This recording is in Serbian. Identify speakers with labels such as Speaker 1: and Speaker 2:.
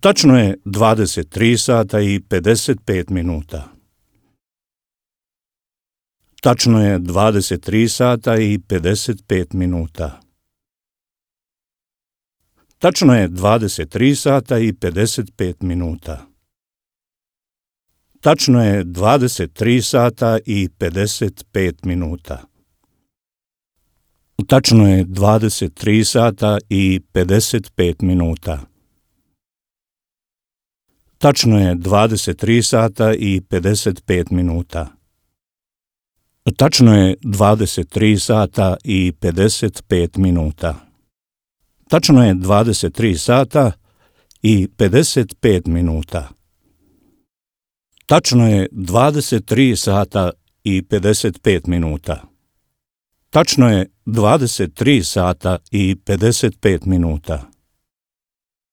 Speaker 1: Tačno je 23 sata i 55 minuta. Tačno je 23 sata i 55 minuta. Tačno je 23 sata i 55 minuta. Tačno je 23 sata i 55 minuta. Tačno je 23 sata i 55 minuta. Tačno je 23 sata i 55 minuta. Tačno je 23 sata i 55 minuta. Tačno je 23 sata i 55 minuta. Tačno je 23 sata i 55 minuta. Tačno je 23 sata i 55 minuta.